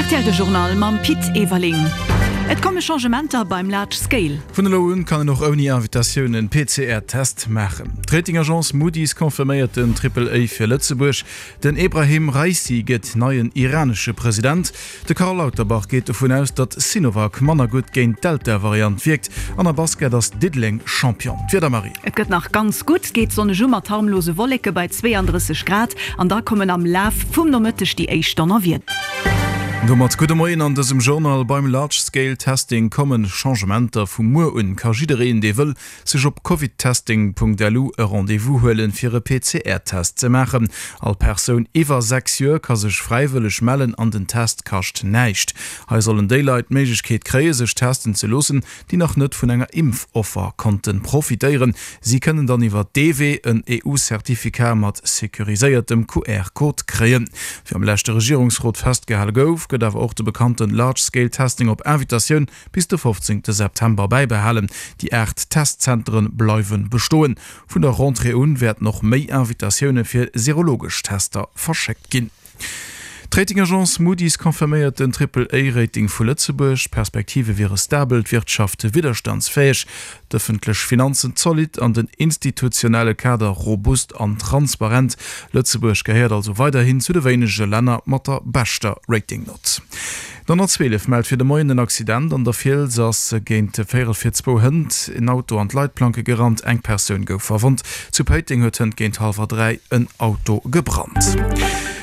Rtl De Journal mam Pit Everling. Et komme Changementer beim Large Scale. Vun elo un kann een och ouni Invitatioun en PCR-Test maachen. D'Rating-Agence Moody's confirméiert den Triple A fir Lëtzebuerg. Den Ebrahim Raisi gëtt neien iranesche President. De Karl Lauterbach geet dovun aus, datt Sinovac manner gutt géint d'Delta-Variant wierkt. An am Basket ass Diddeleng Champion. D'Wieder, Marie. Et gëtt nach ganz gutt, geet sonneg u mat harmlose Wolleke bei 32 Grad an da kommen am Laf vum Nomëtteg déi éischt Donnerwieder. Domat gudde Moien an dësem Journal. Beim Large Scale Testing kommen Changementer. Vu muer un ka jiddereen, dee wëll, sech op covidtesting.lu e Rendez-vous huelen, fir e PCR-Test ze maachen. All Persoun iwwer 6 Joer ka sech fräiwëlleg mellen an den Test kascht näischt. Hei sollen déi Leit d'Méiglechkeet kréie sech testen ze loossen, déi nach net vun enger Impfoffer konnte profitéieren. Si kënnen dann iwwer dee Wee en EU-Certificat mat securiséiertem QR-Code kréien. Wéi am leschte Regierungsrot festgehale gouf, gëtt awer och de bekannte Large Scale Testing op Invitatioun bis de 15 September bäibehalen. Déi 8 Testzentere bleiwe bestoen. Vun der Rentrée un wäerten och méi Invitatioune fir serologesch Tester verschéckt ginn. D'Rating-Agence Moody's confirméiert den Triple-A-Rating vu Lëtzebuerg. D'Perspektive wiere stabel, d'Wirtschaft widderstandsfäeg, d'ëffentlech Finanzen zolidd an den institutionelle Kader robust an transparent. Lëtzebuerg gehéiert also weiderhin zu de wéinege Länner mat der beschter Rating-Nott. D'112 mellt fir de Moien en Accident an der Fiels. Ass géint véierel vir zwou hënt en Auto an d'Leitplanke gerannt. Eng Persoun gouf verwonnt. Zu Péiteng huet hënt géint hallwer 3 en Auto gebrannt.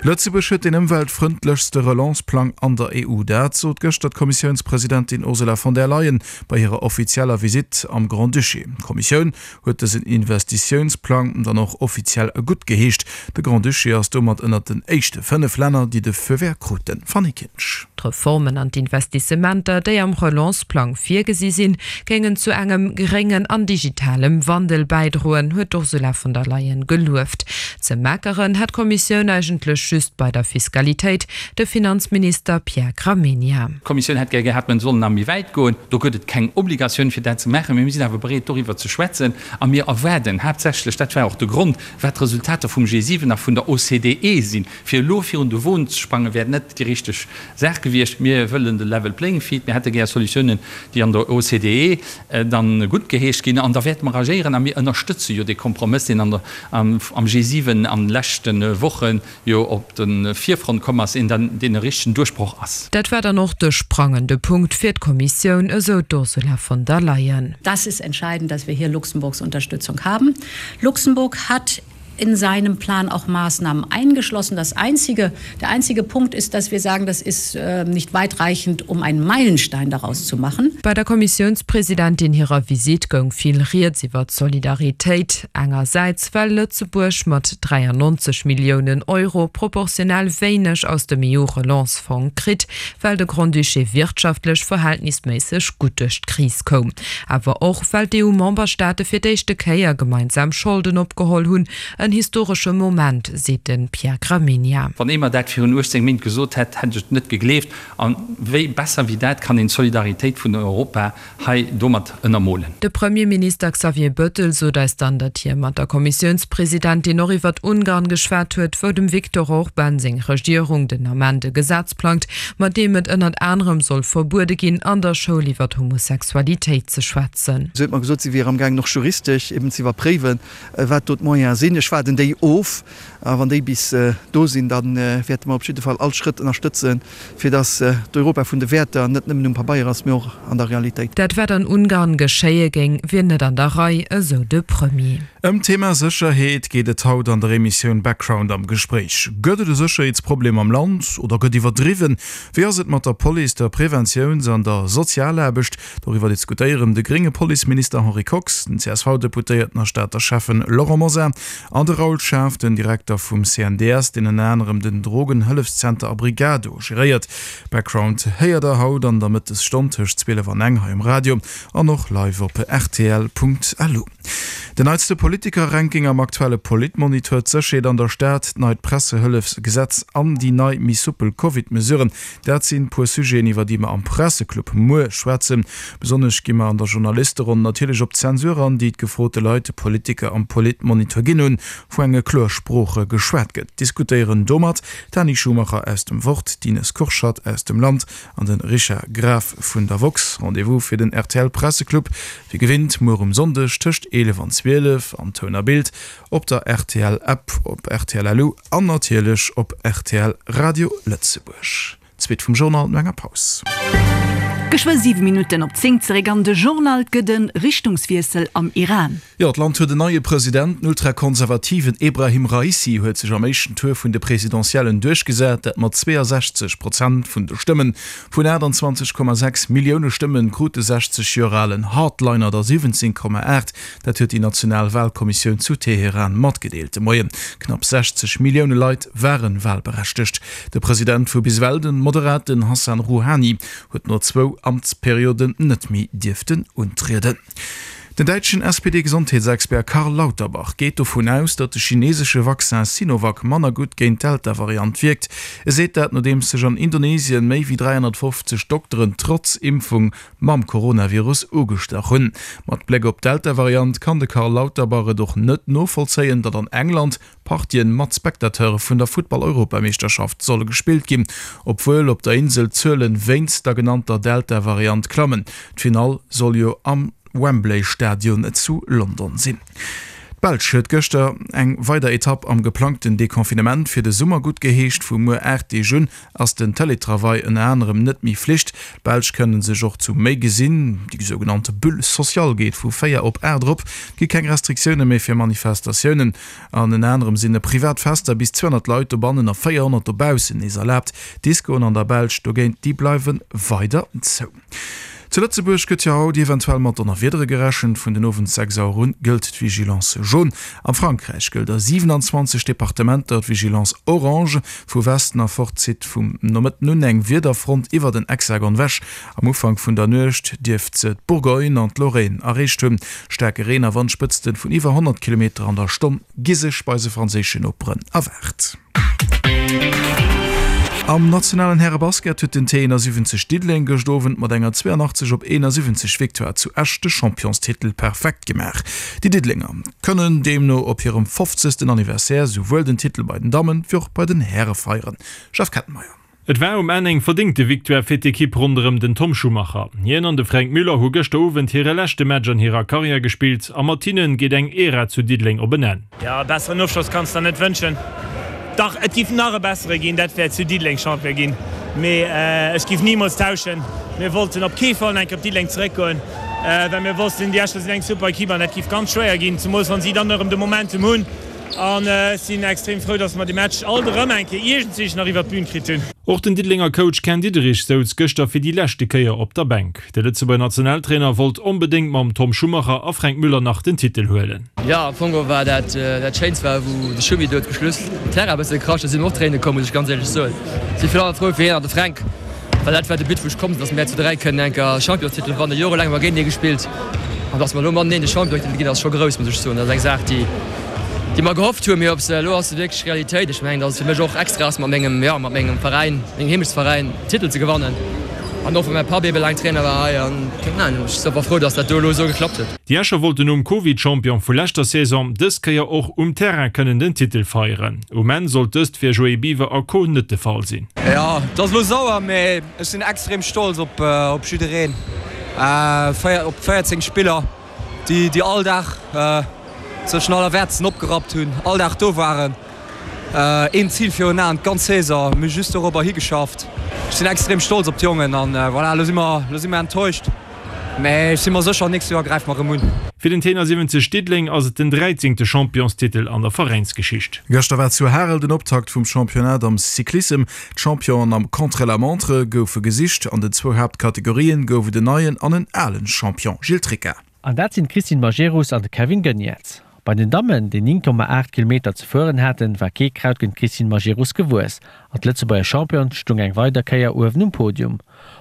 Lëtzebuerg huet deen ëmweltfrëndlechste Relance-Plang an der EU. Dat sot gëschter d'Kommissiounspresidentin Ursula von der Leyen bei hirer offizieller Visitt am Grand-Duché. D'Kommissioun huet dësen Investitiounsplang dann och offiziell guttgeheescht. De Grand-Duché ass domat ënnert den éischte 5 Länner, déi de Feu vert kruten. Fanny Kinsch. D'Reformen an d'Investissementer, déi am Relance-Plang virgesi sinn, géingen zu engem gréngen an digitalem Wandel bäidroen, huet d'Ursula von der Leyen gelueft. Ze meckeren hätt d'Kommissioun eigentlech just bei der Fiskalitéit, de Finanzminister Pierre Gramegna. D'Kommissioun hätt gär gehat, mer sollen nach méi wäit goen. Do gëtt et keng Obligatioun, fir dat ze maachen, mee mir sinn awer bereet, doriwwer ze schwätzen. A mir erwaarden haaptsächlech, dat war och de Grond, wat d'Resultater vum G7 a vun der OCDE sinn. Fir elo virun de Won ze sprangen, wär net déi richteg Saach gewiescht. Mir wëllen de Level Playing Field. Mir hätte gär Solutiounen, déi an der OCDE dann guttgeheescht ginn. An da wäerte mer agéieren. A mir ënnerstëtze jo dee Kompromëss, deen an der, am G7 an de leschte Wochen jo op de Virfront komm ass, een dann deen e richtegen Duerchbroch ass. Dat war dann och de sprangende Punkt fir d'Kommissioun, esou d'Ursula von der Leyen. Das ist entscheidend, dass wir hier Luxemburgs Unterstützung haben. Luxemburg hat in seinem Plan auch Maßnahmen eingeschlossen. Das einzige, der einzige Punkt ist, dass wir sagen, das ist äh, nicht weitreichend, um einen Meilenstein daraus zu machen. Bei der Kommissiounspresidentin hirer Visitt goung vill Rieds iwwer d'Solidaritéit. Engersäits well Lëtzebuerg mat 93 Milliounen Euro proportionell wéineg aus dem EU-Relance-Fong kritt, well de Grand-Duché wirtschaftlech verhältnisméisseg gutt duerch d'Kris koum. Awer och well d'EU-Memberstaate fir d'éischte Kéier gemeinsam Scholden opgeholl hunn. En historesche Moment, seet de Pierre Gramegna. Wann ee mer dat virun 18 Méint gesot hätt, hätt ech et net gegleeft. A wéi besser wéi dat kann een d'Solidaritéit vun Europa hei domat ënnermolen. De Premierminister Xavier Bëttel sot eis dann, datt hie mat der Kommissiounspresidentin och iwwert Ungarn geschwat huet, wou dem Viktor Orban seng Regierung den Ament e Gesetz plangt, mat deem et ënnert anerem soll verbuede ginn, an der Schoul iwwert Homosexualitéit ze schwätzen. Si huet mer gesot, si wier amgaangen och juristesch eben ze iwwerpréiwen, wat do d'Moyene sinn. Ech waarden déi of a wann déi bis do sinn, da wäerte mer op jidde Fall all Schrëtt ënnerstëtzen, fir datt d'Europa vun de Wäerter net nëmmen um Pabeier ass, mee och an der Realitéit. Dat wat an Ungarn geschéie géing, wier net an der Rei, esou de Premier. Ëm d'Thema Sécherheet geet et haut an der Emissioun Background am Gespréich. Gëtt et e Sécherheetsproblem am Land oder gëtt iwwerdriwwen? Wéi ass et mat der Police, der Preventiouns an der Sozialaarbecht? Doriwwer diskutéieren de grénge Policeminister Henri Kox, den CSV-Deputéierten a Stater Schäffen Laurent Mosar an de Raoul Schaaf, den Direkter vum CNDS, deen ënner anerem den Drogenhëllefszenter Abrigado geréiert. Background héiert der haut an der Mëttesstonn tëscht 12 an eng hei um Radio an och live op rtl.lu. Den neitste Politiker-Ranking am aktuelle Politmonitor, d'Sécherheet an der Stad, d'neit Pressehëllefsgesetz an déi nei méi soupel Covid-Mesuren, dat sinn puer Sujeten, iwwer déi mer am Presseclub muer schwätzen. Besonnesch gi mer an der Journalisteronn natierlech op d'Zensur an, déi d'gefrote Leit de Politiker am Politmonitor ginn hunn, wou enge kloer Sprooche geschwat gëtt. Diskutéieren domat d'Dani Schumacher aus dem Wort, d'Ines Kurschat aus dem Land an de Richard Graf vun der woxx. Rendez-vous fir den rtl Presseclub wéi gewinnt muer um Sonndeg tëscht 11 an 12 an Toun a Bild, op der rtl App, op rtl.lu an natierlech op rtl Radio Lëtzebuerg. D'Suite vum Journal no enger Paus. Geschwë 7 Minutten op 10 zeréck an de Journal. Et gëtt e Richtungswiessel am Iran. Jo, d'Land huet en neie President. Den ultrakonservativen Ebrahim Raisi huet sech am éischten Tour vun de Presidentiellen duerchgesat, dat mat 62 Prozent vun de Stëmmen. Vun 28,6 Millioune Stëmme krut de 60 Joer alen Hardliner der 17,8. Dat huet déi national Walkommissioun zu Teheran matgedeelt de Moien. Knapp 60 Millioune Leit ware walberechtegt. De President vu bis ewell, de moderaten Hassan Rouhani, huet no zwou Amtsperioden net méi dierften untrieden. Den däitschen SPD-Gesondheetsexpert Karl Lauterbach geet dovun aus, datt de chinesesche Vaccin Sinovac manner gutt géint d'Delta-Variant wierkt. E seet dat, nodeems sech an Indonesien méi wéi 350 Dokteren trotz Impfung mam Coronavirus ugestach hunn. Mat Bléck op d'Delta-Variant kann de Karl Lauterbach et och net novollzéien, datt an England Partien mat Spectateure vun der Futtball-Europameeschterschaft solle gespillt ginn, obwuel op der Insel d'Zuelen wéinst der genannter Delta-Variant klammen. D'Finall soll jo am Wembley-Stadion zu London sinn. D'Belsch huet gëschter eng weider Etapp am geplangten Deconfinement fir de Summer guttgeheescht. Vu muer 8 Deeg un ass den Télétravail ënner anerem net méi Flicht. D'Belsch kënne sech och zu méi gesinn. Déi sougenannte Bulle sociale geet vu 4 op 8 erop. Et gi keng Restriktioune méi fir Manifestatiounen. An ënner anerem sinn privat Fester bis 200 Leit dobannen a 400 dobaussen nees erlaabt. D'Discoen an der Belsch dogéint, déi bleiwe weider zou. Zu Lëtzebuerg gëtt jo haut eventuell mat Donnerwiedere gerechent. Vun den Owend 6 Auer un gëllt d'Vigilance jaune. Am Frankräich gëllt a 27 Departementer d'Vigilance orange. Vu Westen erfort zitt vum Nomëtten un eng Wiederfront iwwer den Hexagon wech. Am Ufank vun der Nuecht dierft se d'Bourgogne an d'Lorraine erreecht hunn. Staarke Reen a Wandspëtzten vun iwwer 100 Kilometer an der Stonn gi sech bei eise franséischen Noperen erwaart. Am nationalen Härebasket huet den T71 Diddeleng gëscht Owend mat enger 82 op 71 Victoire zu Esch de Championstitel perfekt gemaach. Déi Diddelenger kënnen deemno op hirem 50. Anniversaire souwuel den Titel bei den Dammen wéi och bei den Häre feieren. Jeff Kettenmeyer. Et war um Enn eng verdéngte Victoire fir d'Ekipp ronderëm den Tom Schumacher. Hien an de Fränk Müller hu gëschter Owend hire leschte Match an hirer Karriär gespillt a mat hinne geet eng Ära zu Diddeleng op en Enn. Jo, e besseren Ofschloss kanns der net wënschen. Dach, et giff nach e bessere ginn, dat wär zu Diddeleng Champion ginn. Mee ech giff nimools tauschen. Mir wollten op kee Fall nach eng Kéier op Diddeleng zeréckgoen, well mir wossten, déi Escher sinn eng super Ekipp an dat giff ganz schwéier ginn, zemools wann si dann erëm de Momentum hunn. An ech sinn extrem frou, dass mer de Match alt erëm eng Kéier iergendswéi nach iwwert d'Bün kritt hunn. Och den Diddelenger Coach Ken Diederich souz gëschter fir déi leschte Kéier op der Bänk. De Lëtzebuerger Nationaltrainer wollt onbedéngt mam Tom Schumacher a Fränk Müller nach den Titel huelen. Jo, am Fong war dat dat Schéinst war wou de Schumi do zum Schluss den Terrain e bësse gekrasch huet, si mir och Tréine komm, muss ech ganz éierlech soen. Si virun allem frou fir hien an de Fränk. Well dat war de But wou ech komm sinn, dass mär zu 3 kënnen enker Championstitel wannen. Jorelaang hu mer géintenee gespillt an dass mer elo mateneen de Championstitel ginn ass scho grouss, muss ech soen. Dat ass eng Saach déi déi mer gehofft hunn, mee ob se elo ass se wierklech Realitéit. Ech mengen, dass et fir mech och extra ass mat mengem, jo mat mengem Veräin, mengem Heemechtsveräin Titel ze gewannen an och well mäi Papp ebe laang Trainer war hei an keng Ahnung, ech si einfach frou, dass dat do elo esou geklappt huet. Déi Escher wollten nom Covid-Champion vu leschter Saison dës Kéier och um Terrain kënnen den Titel feieren. Um Enn sollt dëst fir Joé Biwer a Co net de Fall sinn. Jo, et ass elo sauer, mee ech sinn extrem stolz op jiddereen, op 14 Spiller, déi all Dag sech den Allerwäertsten opgerappt hunn, all Dag do waren, een Zil virun Aen, d'ganz Saison, mir hu just dorobber higeschafft. Ech sinn extrem stolz op d'Jongen an voilà, elo si mer enttäuscht. Mä ech si mer sécher, nächst Joer gräife mer erëm un. Fir den Tenor 70 Diddeleng ass et den dräizéngte Championstitel an der Veräinsgeschicht. Gëschter war zu Harel den Optakt vum Championnat am Cyclissem. D'Championen am Contre-la-montre goufe gesicht. An den zwou Haaptkategorien gouf et en neien an en alen Champion, Gilles Tricca. An dat sinn d'Christine Majerus an de Kevin Geniets. Bei den Dammen, déi 9,8 Kilometer ze fueren haten, war kee Kraut géint d'Christine Majerus gewuess an d'Lëtzebuerger Championne stung eng weider Kéier uewen um Podium.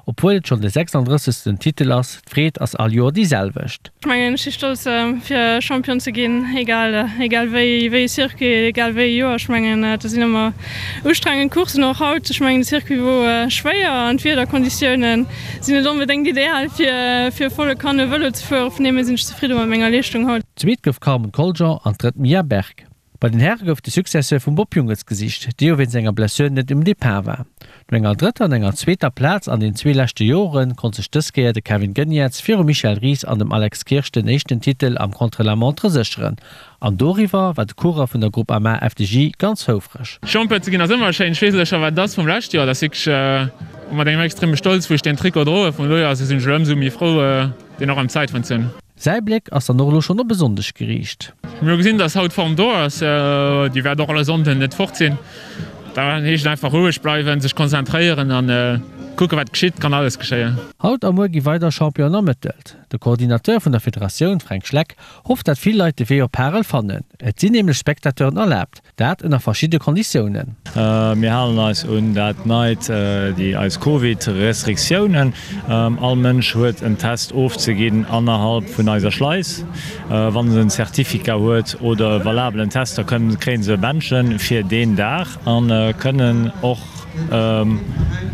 Obwuel et schonn de 36. Titel ass, d'Freed ass all Joer déi selwecht. Ech mengen, ech si stolz fir Champion ze ginn, egal egal wéi wéi e Circuit, egal wéi e Joer. Ech mengen, dat sinn ëmmer ustrengend Courssen, och haut. Ech mengen, de Circuit wor schwéier an d'Wiederkonditioune sinn net onbedéngt ideal fir fir volle Kanne Vëlo ze fueren. Vun deem hier sinn ech zefridde mat menger Leeschtung haut. Zweet gouf d'Carmen Coljon an drëtt d'Mia Berg. Bei den Häre gouf de Successeur vum Bob Jungels gesicht, dee jo wéinst enger Blessure net um Depart war. No enger drëtter an enger zweeter Plaz an den zwee leschte Jore konnt sech dës Kéier de Kevin Geniets virum Michel Ries an dem Alex Kirsch den éischten Titel am Contre-la-montre sécheren. An doriwwer war de Coureur vun der Groupama FDJ ganz houfreg. Champion ze ginn ass ëmmer schéin. Ech weess elo scho wat et ass vum leschte Joer. Dat ass wierklech mat engem extreme Stolz wou ech deen Trikot droe vun elo. Also sinn ech elo ëmsou méi frou deen och am Zäitfond ze hunn. Säi Bléck ass dann och elo schonn op e Sonndeg geriicht. Mir hu gesinn, dass haut d'Form do ass. Déi wäert och alle Sonnden net fort sinn. Da heescht et einfach roueg bleiwen, sech konzentréieren a kucken, wat geschitt. Kann alles geschéien. Haut a muer gi weider Championen ermëttelt. De Coordinateur vun der Federatioun, Fränk Schleck, hofft dat vill Leit de Wee op Harel fannen. Et sinn nämlech Spectateuren erlaabt. Dat ënner verschidde Konditiounen. Mir halen eis un dat neit, déi eis Covid-Restriktiounen. All Mënsch huet en Test ofzeginn annerhalb vun eiser Schleis. Wann en en Certificat huet oder e valabelen Test, da kënnen, kréien se e Bändchen fir deen Dag a kënnen och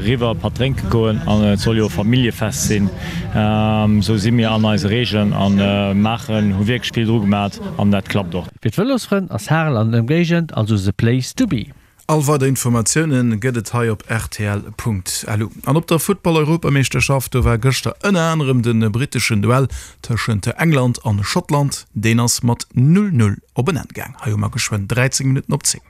riwwer e Patt drénke goen. An et soll jo e Familljefest sinn. Esou si mir an eise Regeln a maachen, hu wierklech vill dru gemat an dat klappt och. Fir d'Vëlosfrënn ass Harel an Ëmgéigend also the place to be. All weider Informatioune gëtt et hei op rtl.lu. An op der Futtball-Europameeschterschaft, do war gëschter ënner anerem de britteschen Duell tëschent England an Schottland. Deen ass mat 0, 0 op en Enn gaang. Hei hu mer geschwënn 13 Minutten op 10.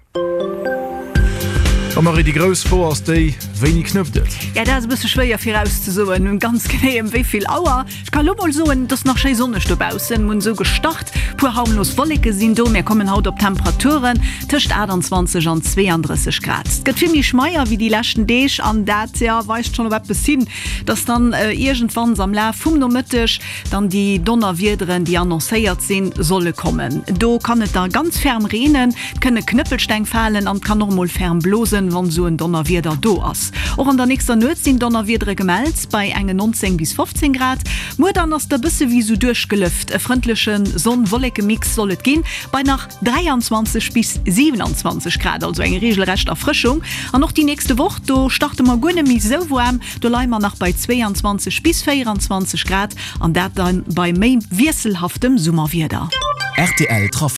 A Marie, déi grouss Fro ass déi, Wéini knëppt et? Ja, dat ass e bësse schwéier virauszesoen, ganz genee ëm wéi vill Auer. Ech ka lo mol soen, et ass nach schéi sonneg dobaussen, mir hunn esou gestart, puer harmlos Wolleke sinn do. Mir kommen haut op Temperaturen tëscht 28 an 32 Grad. Et gëtt vill méi schmeier wéi déi leschten Deeg an dat, jo, weist schonn op eppes hin, dass dann iergendwanns am Laf vum Nomëtteg dann déi Donnerwiederen, déi annoncéiert sinn, solle kommen. Do kann et da ganz ferm reenen, et kënne Knëppelsteng falen an et kann och mol ferm blosen, wann esou en Donnerwieder do ass. Och an der nächster Nuet sinn Donnerwiedere gemellt, bei enge 19 bis 15 Grad. Muer dann ass et e bësse wéi esou duerchgelëft, e frëndleche Sonn-Wolleke-Mix soll et ginn, bei nach 23 bis 27 Grad, also eng reegelrecht Erfrëschung. An och déi nächste Woch, do starte mer guer net méi esou waarm, Do leie mer nach bei 22 bis 24 Grad an dat dann bei méi wiesselhaftem Summerwieder. Rtl Trafic.